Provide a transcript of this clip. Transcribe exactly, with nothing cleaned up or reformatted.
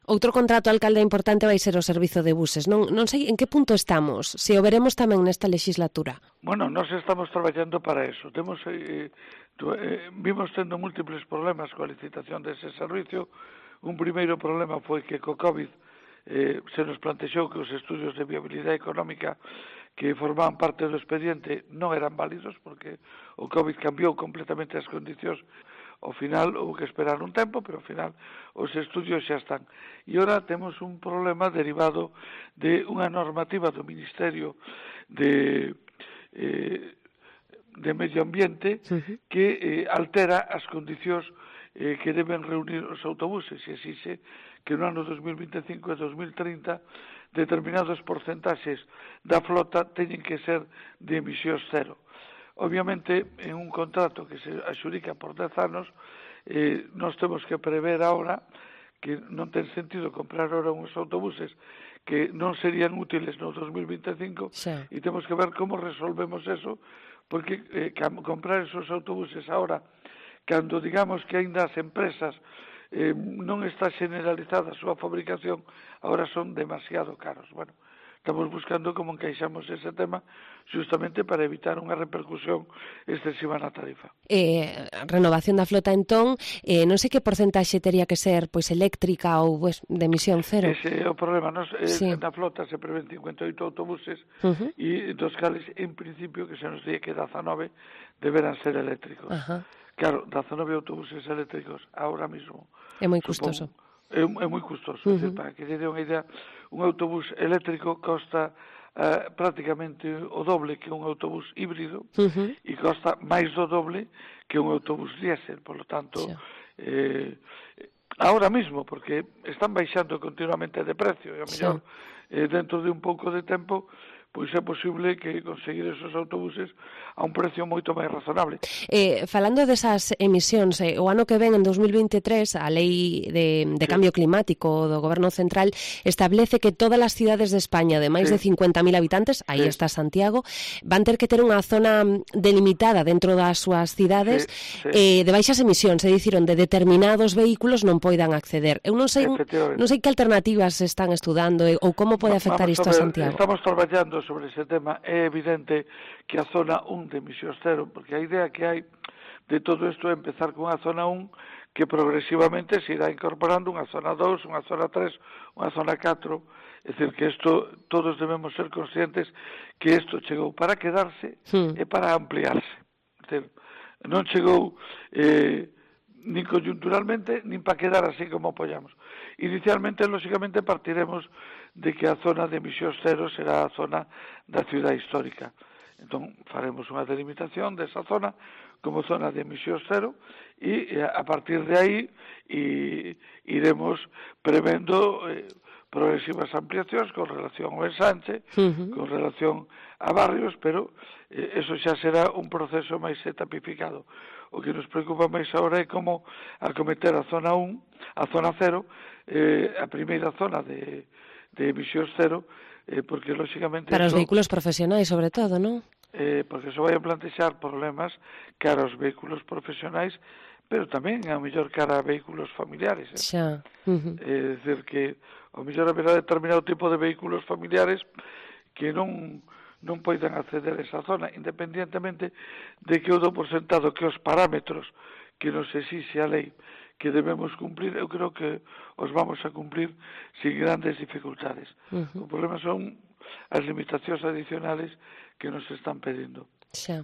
Outro contrato alcalde importante vai ser o servizo de buses. Non, non sei en que punto estamos, se o veremos tamén nesta legislatura. Bueno, nós estamos traballando para eso. Temos, eh, eh, vimos tendo múltiples problemas coa licitación dese servicio. Un primeiro problema foi que co COVID eh, se nos plantexou que os estudios de viabilidade económica que formaban parte do expediente non eran válidos porque o COVID cambiou completamente as condicións. Ao final houve que esperar un tempo, pero ao final os estudios xa están. E ora temos un problema derivado de unha normativa do Ministerio de, eh, de Medio Ambiente uh-huh. que eh, altera as condicións eh, que deben reunir os autobuses e exixe que no ano dos mil vinte e cinco e dos mil trinta determinados porcentaxes da flota teñen que ser de emisións cero. Obviamente, en un contrato que se axudica por dez anos, eh, nós temos que prever ahora que non ten sentido comprar ahora uns autobuses que non serían útiles no dos mil vinte e cinco sí. E temos que ver como resolvemos eso, porque eh, comprar esos autobuses ahora, cando digamos que ainda as empresas eh, non está generalizada a súa fabricación, ahora son demasiado caros. Bueno, estamos buscando como encaixamos ese tema justamente para evitar unha repercusión excesiva na tarifa. Eh, renovación da flota entón, eh, non sei que porcentaxe teria que ser pois eléctrica ou pues, de emisión cero. Ese é o problema. Nos, eh, sí. Na flota se prevén cincuenta e oito autobuses uh-huh. e dos cales, en principio, que se nos diga que dezanove deberán ser eléctricos. Uh-huh. Claro, dezanove autobuses eléctricos ahora mismo. É moi custoso. Supongo, É, é moi custoso, uh-huh. decir, para que lle dé unha idea, un autobús eléctrico costa uh, prácticamente o doble que un autobús híbrido uh-huh. e costa máis do doble que un autobús diésel, por lo tanto, sí. eh, ahora mismo, porque están baixando continuamente de precio, e a mellor sí. eh, dentro de un pouco de tempo pois é posible que conseguir esos autobuses a un precio moito máis razonable. Eh, falando desas emisións, eh, o ano que ven, en dos mil vinte e tres, a Lei de, de sí. Cambio Climático do Goberno Central establece que todas as cidades de España de máis sí. de cincuenta mil habitantes, aí sí. está Santiago, van ter que ter unha zona delimitada dentro das súas cidades sí. Sí. Eh, de baixas emisións, é dicir, onde determinados vehículos non poidan acceder. Eu non sei, non sei que alternativas están estudando eh, ou como pode afectar isto a, ver, a Santiago. Estamos traballando sobre ese tema. É evidente que a zona un de emisións cero, porque a idea que hai de todo isto é empezar con a zona un que progresivamente se irá incorporando unha zona dos, unha zona tres, unha zona catro, é dicir que isto todos debemos ser conscientes que isto chegou para quedarse sí. e para ampliarse. É dicir, non chegou eh, nin coyunturalmente, nin para quedar así como apoyamos. Inicialmente, lógicamente, partiremos de que a zona de emisións cero será a zona da cidade histórica. Entón, faremos unha delimitación desa zona como zona de emisións cero e a partir de aí e, iremos prevendo eh, progresivas ampliacións con relación ao ensanche, uh-huh. con relación a barrios, pero eh, eso xa será un proceso máis etapificado. O que nos preocupa máis agora é como acometer a zona un, a zona cero, eh, a primeira zona de, de emisións cero, eh, porque, lógicamente... Para os vehículos profesionais, sobre todo, non? Eh, porque eso vai a plantexar problemas cara aos vehículos profesionais, pero tamén, a mellor, cara a vehículos familiares. Eh? Xa. Uh-huh. É dicir, que, a mellor, haberá determinado tipo de vehículos familiares que non... non poidan acceder a esa zona, independientemente de que eu dou por sentado que os parámetros que nos exixe a lei que debemos cumplir, eu creo que os vamos a cumplir sin grandes dificultades. Uh-huh. O problema son as limitacións adicionales que nos están pedindo. Xa.